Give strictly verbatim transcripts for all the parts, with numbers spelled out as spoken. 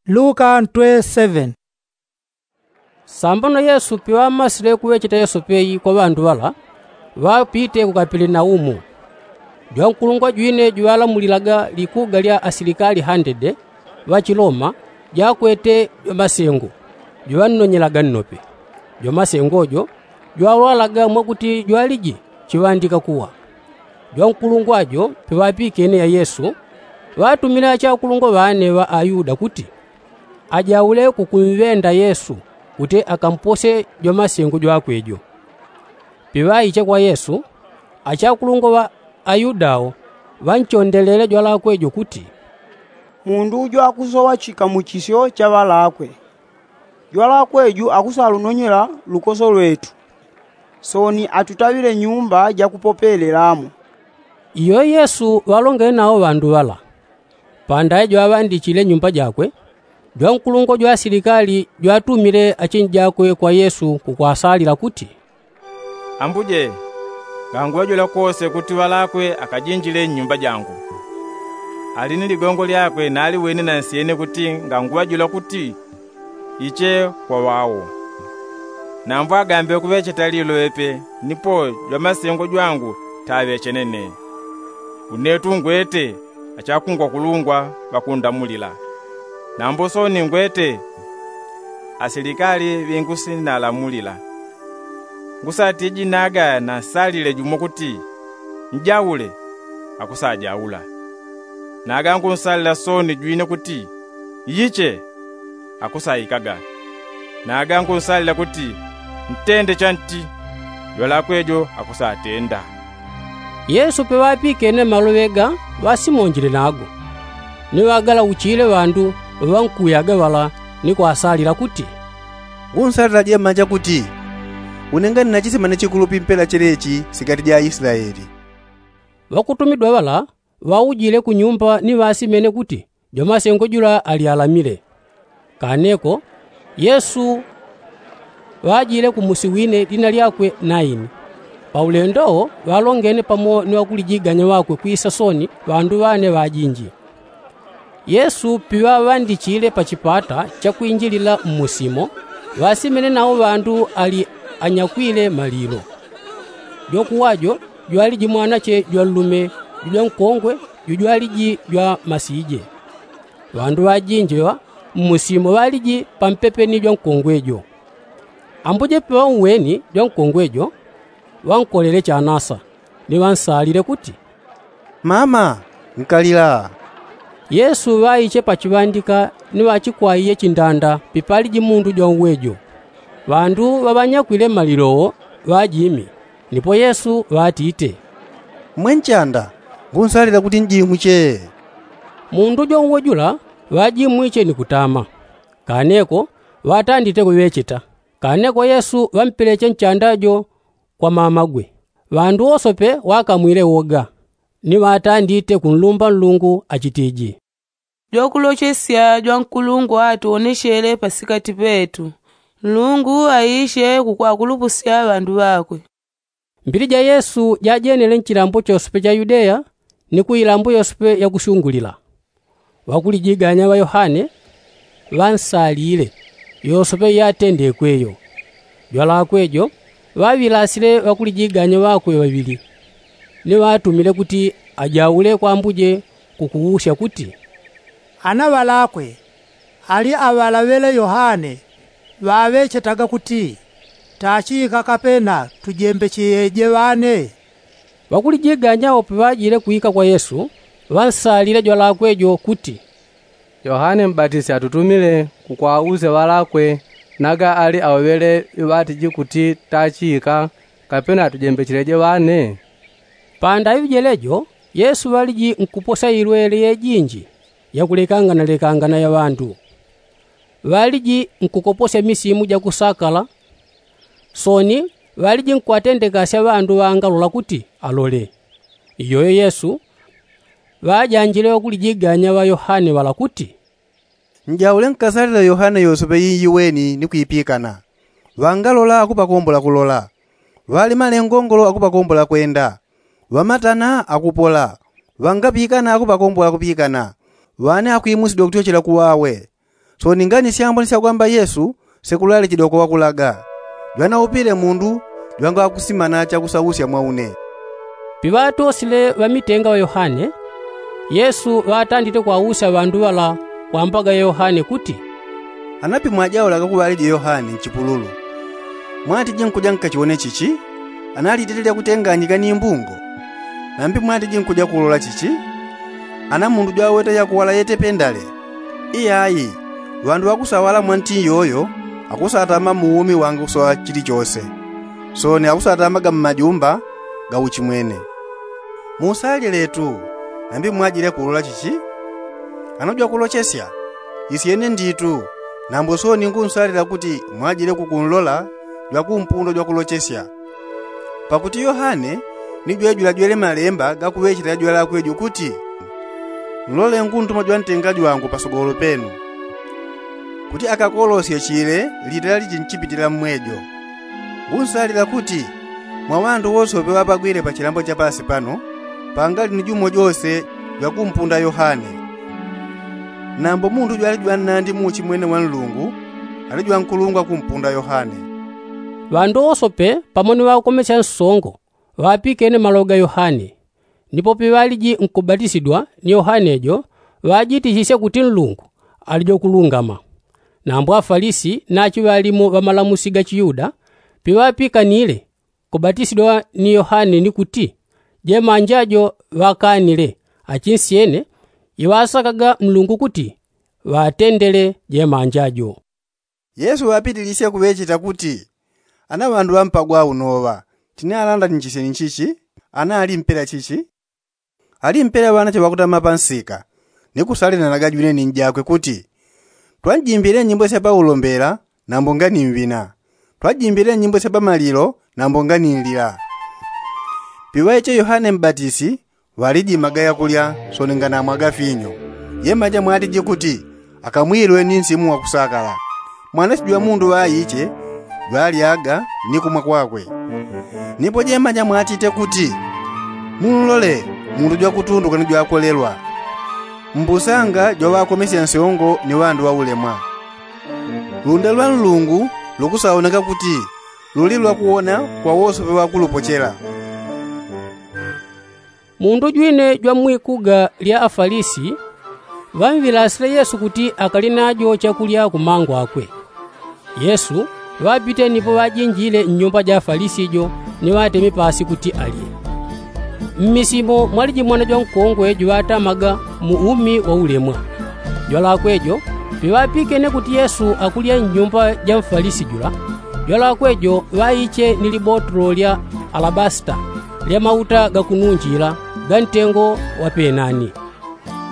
Luka ntwe seven. Sambano yesu piŵamasile kuŵecheta yesu peyi kwa ŵandu ŵala, ŵapite ku kapelenaumu. Jwankulungwa jwine juŵalamulilaga likuga lya asilikali handede ŵachiloma, jakwete jwamasengo juŵannonyelaga nnope. Jwamasengo jo jwalwalaga mwakuti jwaliji chiŵandika kuwa. Jwankulungwa jo piŵapikene ya yesu, ŵatumile achakulungwa ŵane ŵa ayuda kuti ajaule kukumŵenda yesu kuti akamposye jwamasengo jwakwe jo. Piŵaiche kwa yesu, achakulungwa ŵa ayuda wo ŵanchondelele jwalakwe jo kuti, mundu ujo akusoŵa chikamuchisyo cha ŵalakwe. Jwalakwe ju akusalunonyela lukoso lwetu, sooni atutaŵile nyumba jakupopelelamo. Iyo yesu ŵalongele nawo ŵandu ŵala. Pandaye jwaŵandichile nyumba jakwe, jwankulungwa jwa asilikali jwatumile achinji jakwe kwa yesu kukwasalila kuti, ambuje, nganguŵajula kose kuti ŵalakwe akajinjile nnyumba jangu. Ali ni ligongo lyakwe naliwene na nsyene kuti nganguŵajula kuti iche kwa ŵawo. Nambo agambe kuŵecheta lilo ŵepe nipo jwamasengo jwangu taŵechene ne. Une tu ngwete achakungwakulungwa ŵakundamulila. Nambo sooni ngwete asilikali ŵingusinalamulila. Ngusatiji naga nansalile jumo kuti, njaule, akusajaula. Naga ngunsalila sooni jwine kuti, iyiche, akusaikaga. Naga ngunsalila kuti, ntende chanti, jwalakwe jo akusatenda. Yesu peŵapikene maloŵe ga, ŵasimonjile nago. Ni ŵagalauchile ŵandu ŵaŵankuyaga ŵala, ni kwasalila kuti, ngunsalila jemanja kuti, une ngani na chisimane chikulupi mpela chelechi sikati ja aisilaeli. Ŵakutumidwa ŵala ŵaujile ku nyumba ni ŵasimene kuti jwamasengo jula ali alamile. Kaneko yesu ŵajile ku musi wine dina lyakwe naini. Paulendo wo ŵalongene pamo ni ŵakulijiganya ŵakwe kwisa sooni ŵandu ŵane ŵajinji. Yesu piŵaŵandichile pa chipata chakwinjilila mmusi mo, ŵasimene nawo ŵandu ali anyakwile malilo. Jwakuwa jo jwaliji mwanache jwanlume jujwankongwe jujwaliji jwamasije. Ŵandu ŵajinji ŵa mmusi mo ŵaliji pampepe ni jwankongwe jo. Ambuje piŵauweni jwankongwe jo, ŵankolele chanasa, ni ŵansalile kuti, mama, nkalila. Yesu ŵaiche pachiŵandika ni ŵachikwaiye chindanda pipaliji mundu jwanwe jo. Ŵandu ŵaŵanyakwile malilo wo ŵajimi. Nipo yesu ŵatite, mwenchanda, ngunsalila kuti njimwiche. Mundu jwanwe jula ŵajimwiche ni kutama. Kaneko ŵatandite kuŵecheta. Kaneko yesu ŵampeleche nchanda jo kwa mamagwe. Ŵandu wosope ŵakamwile woga, ni ŵatandite kunlumba nlungu achitiji, jwakulochesya jwankulungwa atuwonechele pasikati petu. Nlungu aiche kukwakulupusya ŵandu ŵakwe. Mbili ja yesu jajenele nchilambo chosope cha yudeya ni ku ilambo yosope yakusyungulila. Ŵakulijiganya ŵa yohane ŵansalile yosope iyatendekwe yo. Jwalakwe jo ŵaŵilasile ŵakulijiganya ŵakwe ŵaŵili, ni ŵatumile kuti ajaule kwa ambuje kukuusya kuti, ana ŵalakwe ali aŵalaŵele yohane ŵaŵechetaga kuti, tachika kapena tujembecheje ŵane? Ŵakulijiganya wo piŵajile kwika kwa yesu, ŵansalile jwalakwe jo kuti, yohane mbatisi atutumile kukwauze ŵalakwe naga ali aŵaŵele ŵatiji kuti tachika kapena tujembecheje ŵane? Pandaŵi jelejo yesu ŵaliji nkuposya ilwele yejinji yakulekanganalekangana ya ŵandu. Ŵaliji nkukoposya misimu jakusakala. Sooni ŵaliji nkwatendekasya ŵandu ŵangalola kuti alole. Iyoyo yesu ŵajanjile ŵakulijiganya ŵa yohane ŵala kuti, njaule nkasalila yohane yosope iiweni ni kwipikana. Ŵangalola akupakombola kulola, ŵalemale ngongolo akupakombola kwenda, ŵamatana akupola, ŵangapikana akupakombola kupikana, ŵane akwimusidwa kutyochela kuŵawe. Sooni ngani syambo ni syakwamba yesu, sekulalichidwa kwa wakulaga, jwanaupile mundu jwangakusimana chakusausya mwa une. Piŵatosile ŵamitenga ŵa yohane, yesu ŵatandite kwausya ŵandu ŵala kwambaga yohane kuti, anapi mwajaulaga kuŵaliji yohane nchipululu, mwatiji nkuja nkachiwone chichi? Ana litete lyakutenganyika ni mbungo? Nambi mwatiji nkuja kulola chichi? Ana mundu jwaweta yakuwala yete pendale? Iyayi, ŵandu ŵakusawala mwa nti iyoyo akusatama mu umi wange kusoŵa chilichose. Sooni akusatamaga mmajumba ga uchimwene. Musalile tu, nambi mwajile kulola chichi? Ana jwakulochesya? Isyene nditu. Nambo sooni ngunsalila kuti mwajile kukunlola jwakumpundwa jwakulochesya. Pakuti yohane ni jwejula jwele malemba gakuŵecheta jwalakwe jo kuti, nlole nguntuma jwantenga jwangu pasogolo penu, kuti akakolosye chile litala lichinchipitila mmwejo. Ngunsalila kuti mwa ŵandu wosope ŵapagwile pachilambo cha pasi pano, pangali ni jumo jose jwakumpunda yohane. Nambo mundu jwali jwannandi mu uchimwene wa nlungu, ali jwankulungwa kumpunda yohane. Ŵandu wosope pamo ni ŵakomesya nsongo ŵapikene maloŵe ga yohane. Nipo piŵaliji nkubatisidwa ni yohane jo, ŵajitichisye kuti nlungu ali jwakulungama. Nambo afalisi nachi ŵalimu ŵamalamusi ga chiyuda piŵapikanile kubatisidwa ni yohane ni kuti jemanja jo ŵakanile, achinsyene iŵasakaga nlungu kuti ŵatendele jemanja jo. Yesu ŵapitilisye kuŵecheta kuti, ana ŵandu ŵampagwa unoŵa, tini alanda ni chisyeni chichi? Ana ali mpela chichi? Ali mpela ŵanache ŵakutama pansika, ni kusalinanaga jwine ni njakwe kuti, twanjimbile nyimbo sya paulombela, nambo ngani mwina? Twanjimbile nyimbo sya pamalilo, nambo ngani nlila? Piŵaiche yohane mbatisi ŵalijimaga yakulya, sooni nganamwaga finyo. Jemanja mwatiji kuti, akamwilwe ni nsimu wakusakala. Mwanasi jwa mundu ŵaiche jwalyaga ni kumwa kwakwe. Nipo jemanja mwatite kuti, munlole, mundu jwakutunduka ni jwakwelelwa, mbusanga jwaŵakomesya nsongo ni ŵandu ŵaulemwa. Lunda lwa nlungu lukusaoneka kuti luli lwakuwona kwa wosope ŵakulupochela. Mundu jwine jwa mwikuga lya afalisi ŵamwilasile yesu kuti akali najo chakulya kumango akwe. Yesu ŵapite nipo ŵajinjile nnyumba ja afalisi jo, ni ŵateme pasi kuti alye. Mmisimo mwaliji mwana jwankongwe juŵatamaga mu umi waulemwa. Jwalakwe jo piŵapikene kuti yesu akulya nnyumba ja mfalisi jula, jwalakwe jo ŵaiche ni libotolo lya alabasita lya mauta gakununjila ga ntengo wa penani.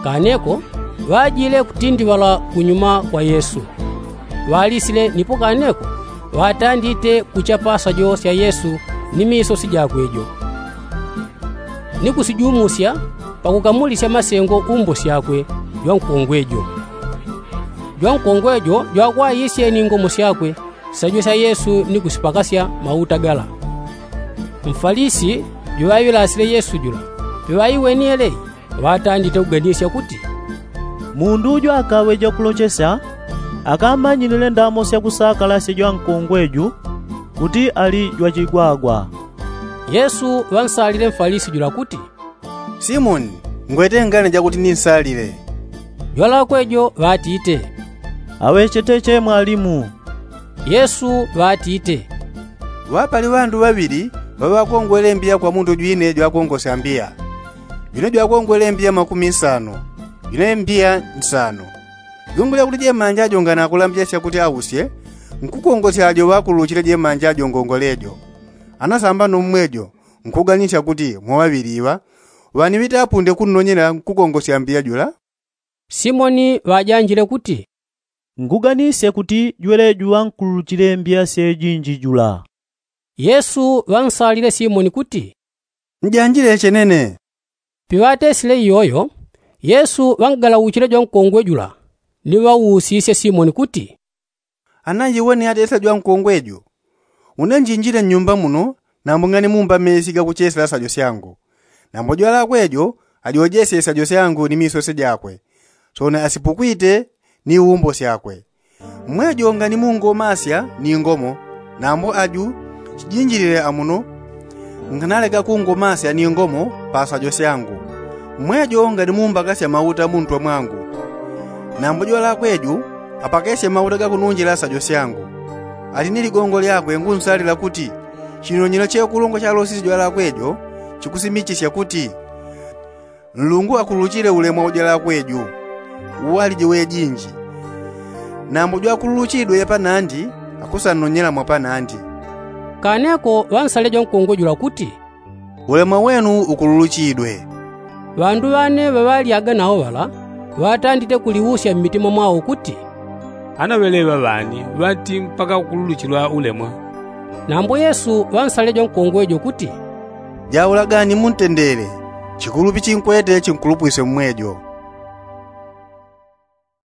Kaneko ŵajile kutindiŵala kunyuma kwa yesu. Ŵalisile nipo kaneko ŵatandite kuchapa sajo sya yesu ni misosi jakwe jo, ni kusijumusya pakukamulisya masengo umbo syakwe jwankongwe jo. Jwankongwe jo jwakwayisye ni ngomo syakwe sajo sya yesu ni kusipakasya mauta gala. Mfalisi juŵaiŵilasile yesu jula piŵaiweni yeleyi, ŵatandite kuganisya kuti, mundu uju akaŵe jakulochesya, akamanyilile ndamo syakusakala sya jwankongwe ju kuti ali jwachigwagwa. Yesu ŵansalile mfalisi jula kuti, simoni, ngwete ngane jakuti ninsalile? Jwalakwe jo ŵatite, aŵechete che mwalimu. Yesu ŵatite, ŵapali ŵandu ŵaŵili ŵaŵakongwele mbiya kwa mundu jwine jwakongosya mbiya. Jwine jwakongwele mbiya makumi nsano, jwine mbiya nsano. Jungulya kuti jemanja jo nganakulambisya kuti ausye, nkukongosya ajo ŵakuluchile jemanja jo ngongole jo. Anasamba no mmwejo nkuganisya kuti mwa ŵaŵili iŵa ŵaniŵite apunde kunnonyela nkukongosya mbiya jula. Simoni ŵajanjile kuti, nguganisye kuti jweleju ŵankuluchile mbiya syejinji jula. Yesu ŵansalile simoni kuti, njanjile chenene. Piŵatesile iyoyo, yesu ŵangalauchile jwankongwe jula, ni ŵausisye simoni kuti, ana iwe ni atesile jwankongwe ju? Une njinjile nnyumba muno, nambo ngani mumba mesi gakuchesela sajo syangu. Nambo jwalakwe jo ajojesye sajo syangu ni misosye jakwe. Sooni asipukwite ni umbo syakwe. Mwejo nganimungomasya ni ngomo, nambo aju chijinjilile amuno nkanalega kungomasya ni ngomo pa sajo syangu. Mwejo nganimumbakasya mauta muntwe mwangu, nambo jwalakwe ju apakesye mauta gakununjila sajo syangu. Ali ni ligongo lyakwe ngunsalila kuti chinonyelo che kulungwa chalosisye jwalakwe jo chikusimichisya kuti nlungu akululuchile ulemwa ujwalakwe ju uwaliji wejinji. Nambo jwakululuchidwe panandi akusannonyela mwapanandi. Kaneko ŵansale jwankongwe jula kuti, ulemwa wenu ukululuchidwe. Ŵandu ŵane ŵaŵalyaga nawo ŵala ŵatandite kuliusya mmitima mwao kuti, ana ŵeleŵa ŵani ŵati mpaka ukululuchilwa ulemwa? Nambo yesu ŵansale jwankongwe jo kuti, jaulagani muntendele, chikulupi chinkwete chinkulupwisye mmwejo.